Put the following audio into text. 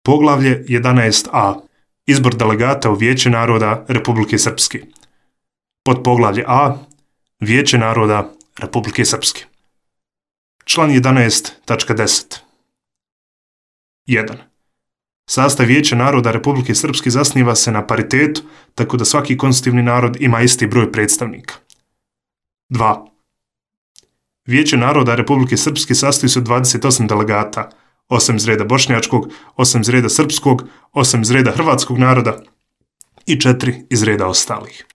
Poglavlje 11a. Izbor delegata u Vijeće naroda Republike Srpske. Podpoglavlje A. Vijeće naroda Republike Srpske. Član 11.10. 1. Sastav Vijeća naroda Republike Srpske zasniva se na paritetu, tako da svaki konstitutivni narod ima isti broj predstavnika. 2. Vijeće naroda Republike Srpske sastoji se od 28 delegata, 8 iz reda bošnjačkog, 8 iz reda srpskog, 8 iz reda hrvatskog naroda i 4 iz reda ostalih.